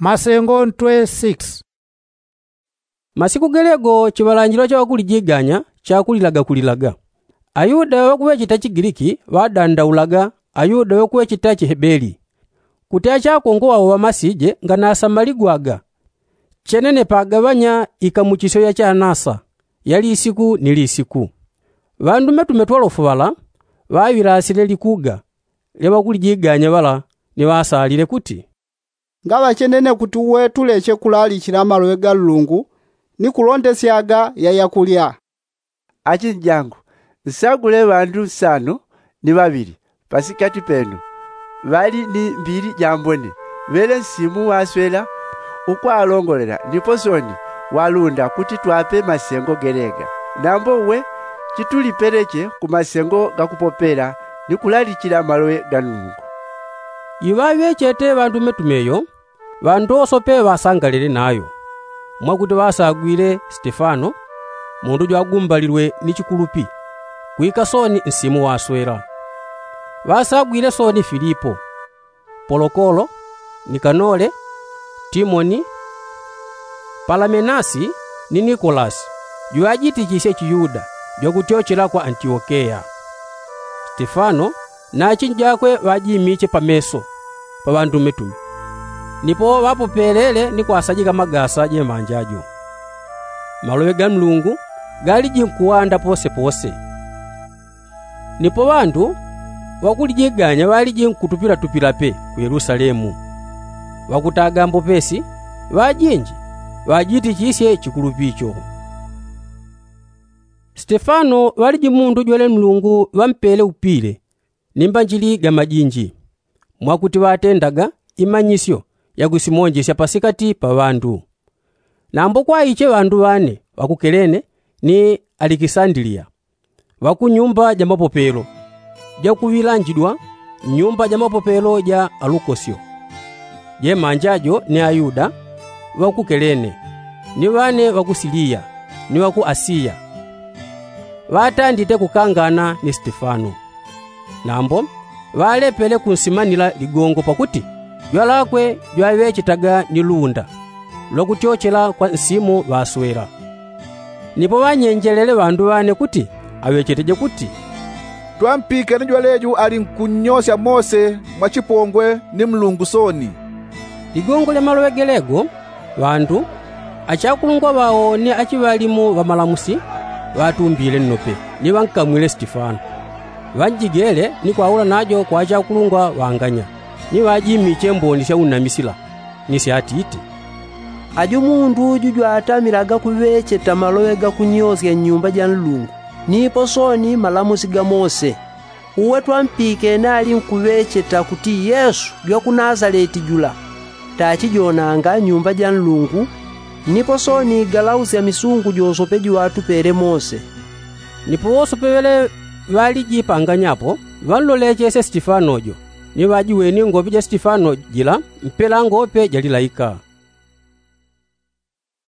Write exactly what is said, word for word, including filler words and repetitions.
Masengo ntwe six. Masiku gelego chiŵalanjilo cha ŵakulijiganya chakulilaga kulilaga. Ayuda ŵakuŵecheta chigiliki ŵadandaulaga ayuda ŵakuŵecheta chihebeli, kuti achakongwa ŵao ŵamasije nganasamaligwaga. Chenene pagaŵanya ikamuchisyo ya chanasa ya lisiku ni lisiku. Ŵandumetume twalofu ŵala ŵaŵilasile likuga lya ŵakulijiganya ŵala ni ŵasalile kuti, ngaŵa chenene kuti uwe tuleche kulalichila maloŵe ga nlungu ni kulondesyaga ya yakulya. Achinjangu, nsagule ŵandu nsano ni ŵaŵili pasikati penu ŵali ni mbili jambone, ŵele nsimu waswela ukwalongolela nipo soni walunda kuti twape masengo gelega. Nambo uwe chitulipeleche ku masengo gakupopela ni kulalichila maloŵe ga nlungu. Iŵaŵechete ŵandumetume yo ŵandu wosope ŵasangalele nayo, mwakuti ŵasagwile stefano, mundu jwagumbalilwe ni chikulupi kwika soni nsimu waswela. Ŵasagwile soni filipo, polokolo, nikanole, timoni, palamenasi, ni nikolasi jwajitichisye chiyuda jwakutyochela kwa antiokeya. Stefano na achinjakwe ŵajimiche pameso pa ŵandumetume, nipo ŵapopelele ni kwasajika magasa jemanja jo. Maloŵe ga nlungu galiji nkuwanda posepose. Nipo ŵandu ŵakulijiganya ŵaliji nkutupilatupila pe ku yelusalemu. Ŵakutaga mbopesi ŵajinji ŵajitichisye chikulupi cho. Stefano ŵaliji mundu jwele nlungu ŵampele upile ni mbanjili ga majinji, mwakuti ŵatendaga imanyisyo yakusimonjesya pasikati pa ŵandu. Nambo kwaiche ŵandu ŵane ŵakukelene ni alikisandiliya ŵakunyumba ja mapopelo jakuŵilanjidwa nyumba ja mapopelo ja alukosyo. Jemanja jo ni ayuda ŵakukelene ni ŵane ŵakusiliya ni ŵaku asiya ŵatandite kukangana ni stefano. Nambo ŵalepele kunsimanila ligongo pakuti jwalakwe jwaŵechetaga ni lunda lwakutyochela kwa nsimu ŵaswela. Nipo ŵanyenjelele ŵandu ŵane kuti aŵecheteje kuti, twampikene jwaleju ali nkunnyosya mose mwa chipongwe ni mlungu soni. Ligongo lya maloŵe gelego ŵandu achakulungwa ŵao ni achiŵalimu ŵamalamusi ŵatumbile nnope ni ŵankamwile stefano. Ŵanjigele ni kwaula najo kwa achakulungwa ŵanganya ni ŵajimiche mboni sya unamisila ni syatiti, ajo mundu uju jwatamilaga kuŵecheta maloŵe ga kunyosya nnyumba ja nlungu nipo soni malamusi ga mose. Uwe twampikene ali nkuŵecheta kuti yesu jwa ku nasaleti jula tachijonanga nyumba ja nlungu nipo soni galausya misungu josope jiŵatupele mose. Nipo wosope ŵele ŵalijipanganyapo ŵanlolechesye stefano jo ni ŵajiweni ngope ja stefano jila mpela ngope jalilaika.